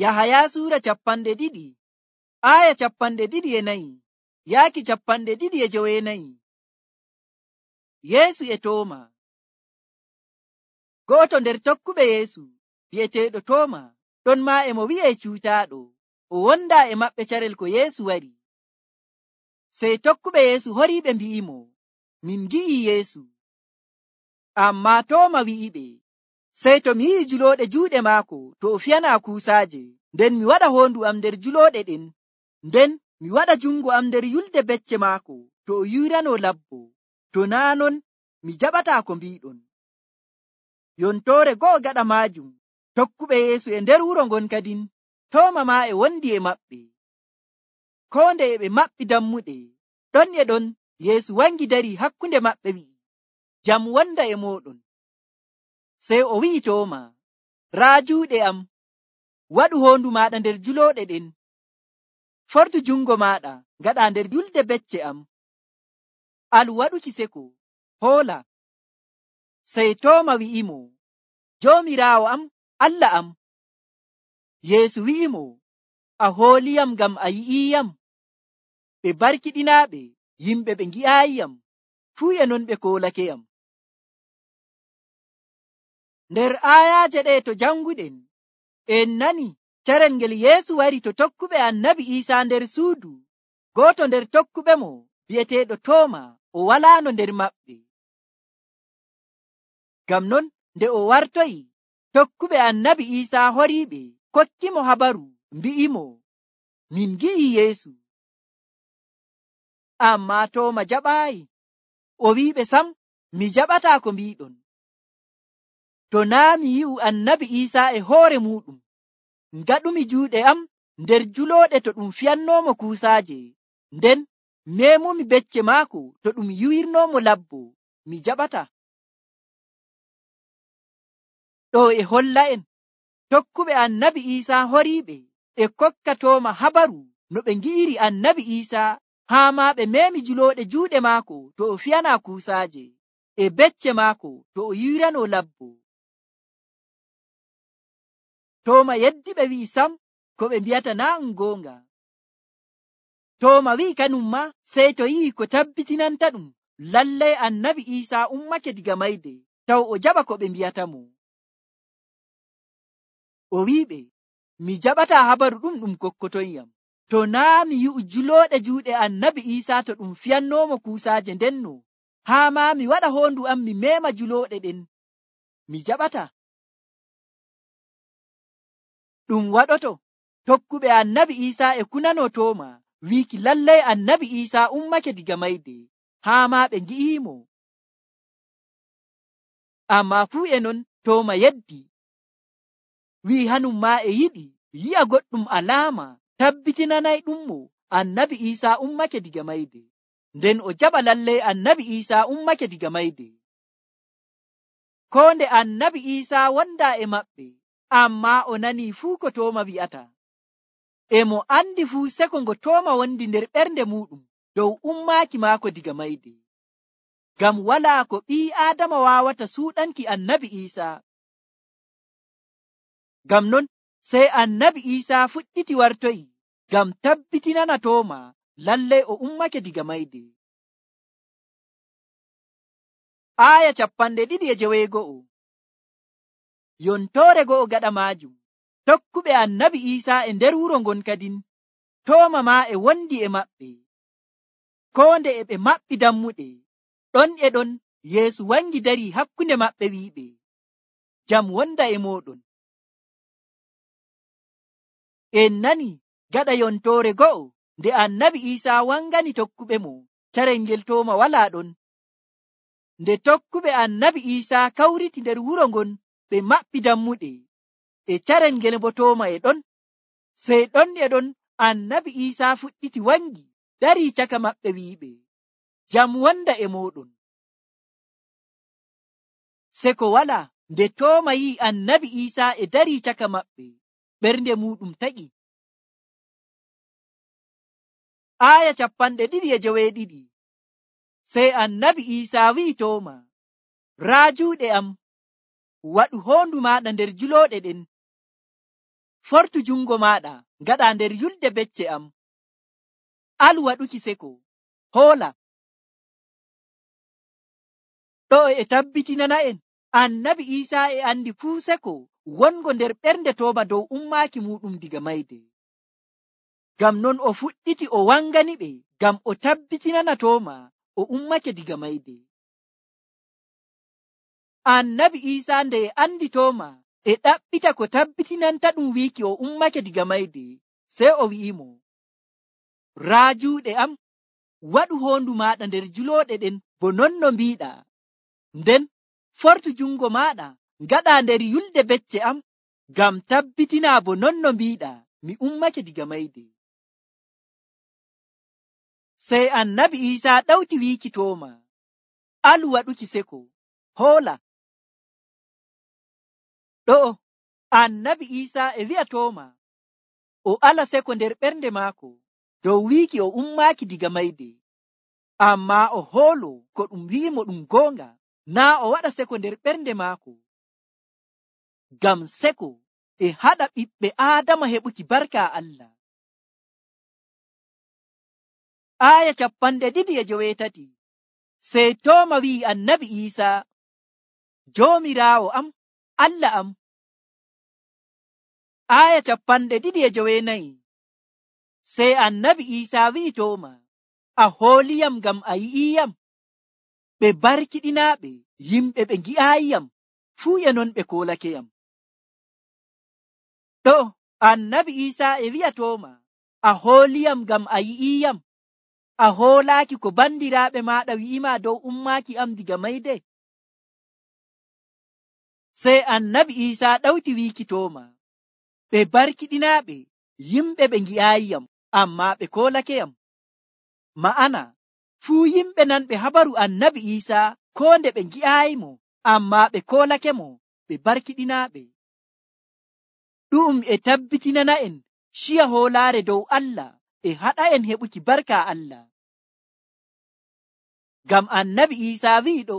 Yahaya suura 2 aya 24 yaaki 24. Yeesu e Tooma. Go'oto nder tokkuɓe Yeesu bi'eteeɗo Tooma ɗon maa e mo wi'e cuutaaɗo, o wondaa e maɓɓe carel ko Yeesu wari. Sey tokkuɓe Yeesu horiiɓe mbi'imo, min ngi'ii Yeesu. Ammaa Tooma wi'iɓe, sey to mi yi'i julooɗe juuɗe maako to o fiyanaa kuusaaje, nden mi waɗa hoondu am nder julooɗe ɗen, nden mi waɗa jungo am nder yulde becce maako to o yuuranoo labbo, to naa' non mi jaɓataa ko mbiiɗon. Yontoore go'o gaɗa maajum, tokkuɓe Yeesu e nder wuro ngon kadin, Tooma maa e wondi e maɓɓe. Koo nde e ɓe maɓɓi dammuɗe, ɗon e ɗon Yeesu wangi darii hakkunde maɓɓe wi'i, jam wonda e mooɗon. Sey o wi'i Tooma, raa juuɗe am, waɗu hoondu maaɗa nder julooɗe ɗen, fortu jungo maaɗa ngaɗa nder yulde becce am. Alu waɗuki seko, hoola. Sey Tooma wi'imo, Joomiraawo am, Allah am. Yeesu wi'imo, a hooliyam ngam a yi'iiyam. Ɓe barkiɗinaaɓe yimɓe ɓe ngi'aayiyam, fuu e non ɓe koolakeyam. Nder aayaaje ɗe to janguɗen, en nani carel ngel Yeesu wari to tokkuɓe Annabi Iisaa nder suudu. Gooto nder tokkuɓe mo bi'eteeɗo Tooma o walaano nder maɓɓe. Ngam non nde o wartoyi, tokkuɓe Annabi Iisaa horiiɓe kokkimo habaru mbi'imo, min ngi'ii Yeesu. Ammaa Tooma jaɓaayi. O wi'iɓe sam, mi jaɓataa ko mbiiɗon. To naa' mi yi'u Annabi Iisaa e hoore muuɗum, ngaɗumi juuɗe am nder julooɗe to ɗum fiyannoomo kuusaaje, nden meemumi becce maako to ɗum yuwirnoomo labbo, mi jaɓataa. Ɗo e holla'en tokkuɓe Annabi Iisaa horiiɓe e kokka Tooma habaru no ɓe ngi'iri Annabi Iisaa, haa maa ɓe meemi julooɗe juuɗe maako to o fiyanaa kuusaaje, e becce maako to o yuuranoo labbo. Tooma yeddiɓe wi'i sam ko ɓe mbi'ata naa' ɗum goonga. Tooma wi'i kanum maa sey to yi'i ko tabbitinanta ɗum lallay Annabi Iisaa ummake diga mayde, taw o jaɓa ko ɓe mbi'atamo. O wi'iɓe, mi jaɓataa habaru ɗum kokkotonyam, to naa' mi yi'u julooɗe juuɗe Annabi Iisaa to ɗum fiyannoomo kuusaaje ndenno, haa maa mi waɗa hoondu am mi meema julooɗe ɗen, mi jaɓataa. Ɗum waɗoto tokkuɓe Annabi Iisaa e kunanoo Tooma wiiki lallay Annabi Iisaa ummake diga mayde, haa maa ɓe ngi'iimo. Ammaa fuu e non Tooma yeddi, wi'i hanum maa e yiɗi yi'a goɗɗum alaama tabbitinanayɗummo Annabi Iisaa ummake diga mayde, nden o jaɓa lallay Annabi Iisaa ummake diga mayde. Koo nde Annabi Iisaa wondaa e maɓɓe, ammaa o nanii fuu ko Tooma wi'ata. E mo andi fuu seko ngo Tooma wondi nder ɓernde muuɗum dow ummaaki maako diga mayde. Ngam walaa ko ɓii Aadama waawata suuɗanki Annabi Iisaa. Ngam non sey Annabi Iisaa fuɗɗiti wartoyi ngam tabbitinana Tooma lallay o ummake diga mayde. Aaya 2:9. Yontoore go'o gaɗa maajum, tokkuɓe Annabi Iisaa e nder wuro ngon kadin, Tooma maa e wondi e maɓɓe. Koo nde e ɓe maɓɓi dammuɗe, ɗon e ɗon Yeesu wangi darii hakkunde maɓɓe wi'iɓe, jam wonda e mooɗon. En nani gaɗa yontoore go'o nde Annabi Iisaa wangani tokkuɓe mo carel ngel Tooma walaa ɗon. Nde tokkuɓe Annabi Iisaa kawriti nder wuro ngon ɓe maɓɓi dammuɗe, e carel ngel bo Tooma e ɗon. Sey ɗon e ɗon Annabi Iisaa fuɗɗiti wangi darii caka maɓɓe wi'iɓe, jam wonda e mooɗon. Seko walaa nde Tooma yi'i Annabi Iisaa e darii caka maɓɓe, ɓernde muuɗum taƴi. Aaya 2:9. Sey Annabi Iisaa wi'i Tooma, raa juuɗe am, waɗu hoondu maaɗa nder julooɗe ɗen. fortu jungo maɗa ngaɗa nder yulde becce am. Alu waɗuki seko, hoola. Ɗo e tabbitinana en annabi Isa e andi fuu seko wongo nder ɓernde Tooma dow ummaaki muɗum diga mayde. Ngam non o fuɗɗiti o wangani ɓe ngam o tabbitinana Tooma o ummake diga mayde. Annabi Isa nde e andi Tooma e ɗaɓɓita ko tabbitinanta ɗum wiiki o ummake diga mayde, sey o wi'imo, raa juuɗe am, waɗu hoondu maɗa nder julooɗe ɗen bo non no mbiɗa, nden fortu jungo maɗa ngaɗa nder yulde becce am, ngam tabbitina bo non no mbiɗa mi ummake diga mayde. Sey annabi Isa ɗawti wiiki Tooma, alu waɗuki seko, hoola. Ɗo annabi Isa e wi'a Tooma o ala seko nder ɓernde maako dow wiiki o ummaaki diga mayde, amma o hoolo ko ɗum wi'imo ɗum goonga, naa o waɗa seko nder ɓernde maako. Ngam seko e haɗa ɓiɓɓe Aadama heɓuki barka Allah. Aya 2:8. Sey Tooma wi'i annabi Isa, Joomiraawo am, Allah am. Aya 2:9. Sey annabi Isa wi'i Tooma, a hooliyam ngam a yi'iyam. Ɓe barkiɗinaaɓe yimɓe ɓe ngi'aayiyam fuu e non ɓe koolakeyam. Ɗo annabi Isa e wi'a Tooma, a hooliyam ngam a yi'iyam. A hoolaaki ko bandiraaɓe maaɗa wi'ima dow ummaaki am diga mayde? Sey annabi Isa ɗawti wiiki Tooma, ɓe barkiɗinaaɓe yimɓe ɓe ngi'aayiyam, amma ɓe koolakeyam. Ma'ana, fuu yimɓe nanɓe habaru annabi Isa koo nde ɓe ngi'aayimo, amma ɓe koolakemo, ɓe barkiɗinaaɓe. Ɗum e tabbitinana en ciya hoolaare dow Allah e haɗa en heɓuki barka Allah. Ngam annabi Isa wi'i ɗo,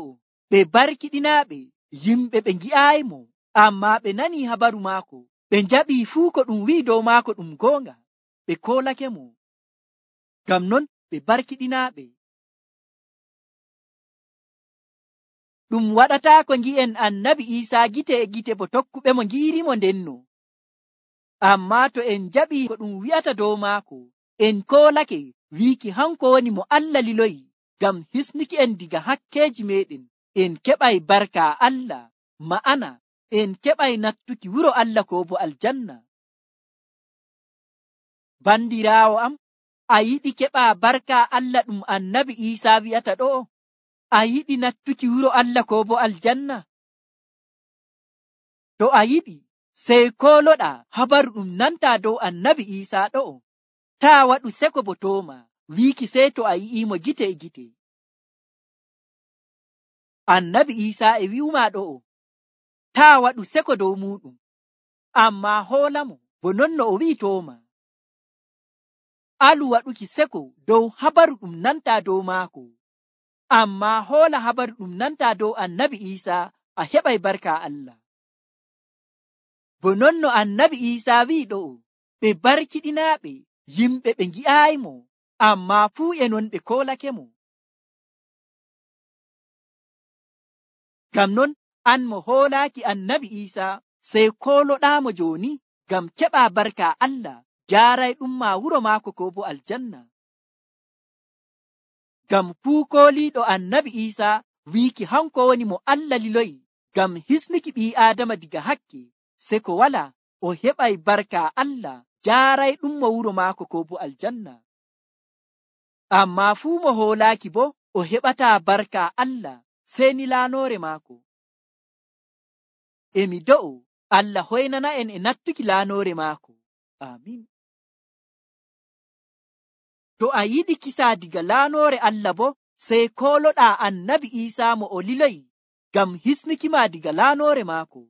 ɓe barkiɗinaaɓe yimɓe ɓe ngi'aayimo, amma ɓe nani habaru maako, ɓe njaɓii fuu ko ɗum wi'i dow maako ɗum goonga, ɓe koolakemo. Ngam non ɓe barkiɗinaaɓe. Ɗum waɗataako ngi'en annabi Isa gite e gite bo tokkuɓe mo ngi'irimo ndenno. Amma to en njaɓii ko ɗum wi'ata dow maako, en koolake wiiki hanko woni mo Allah liloyi ngam hisnuki en diga hakkeeji meɗen, en keɓay barka Allah, ma'ana en keɓay nattuki wuro Allah ko bo aljanna. Bandiraawo am, a yiɗi keɓa barka Allah ɗum annabi Isa wi'ata ɗo? A yiɗi nattuki wuro Allah ko bo aljanna? To a yiɗi, sey kooloɗa habaru ɗum nanta dow annabi Isa ɗo. Taa waɗu seko bo Tooma wiiki sey to a yi'imo gite e gite. Annabi Isa e wi'uma ɗo, taa waɗu seko dow muɗum, amma hoolamo bo non no o wi'i Tooma. Alu waɗuki seko dow habaru ɗum nanta dow maako, amma hoola habaru ɗum nanta dow annabi Isa, a heɓay barka Allah. Bo non no annabi Isa wi'i ɗo, ɓe barkiɗinaaɓe yimɓe ɓe ngi'aayimo, amma fuu e non ɓe koolakemo. Ngam non an mo hoolaaki annabi Isa, sey kooloɗaamo jooni ngam keɓa barka Allah, jaaray ɗum ma wuro maako ko bo aljanna. Ngam fuu kooliiɗo annabi Isa wiiki hanko woni mo Allah liloyi ngam hisnuki ɓii Aadama diga hakke, seko wala o heɓay barka Allah, jaaray ɗum mo wuro maako ko bo aljanna. Amma fuu mo hoolaaki bo o heɓataa barka Allah, sey ni laanoore maako. Emi do'o Allah hoynana en e nattuki laanoore maako. Amin. To a yiɗi kisa diga laanoore Allah bo, sey kooloɗaa annabi Isa mo o liloyi ngam hisnuki ma diga laanoore maako.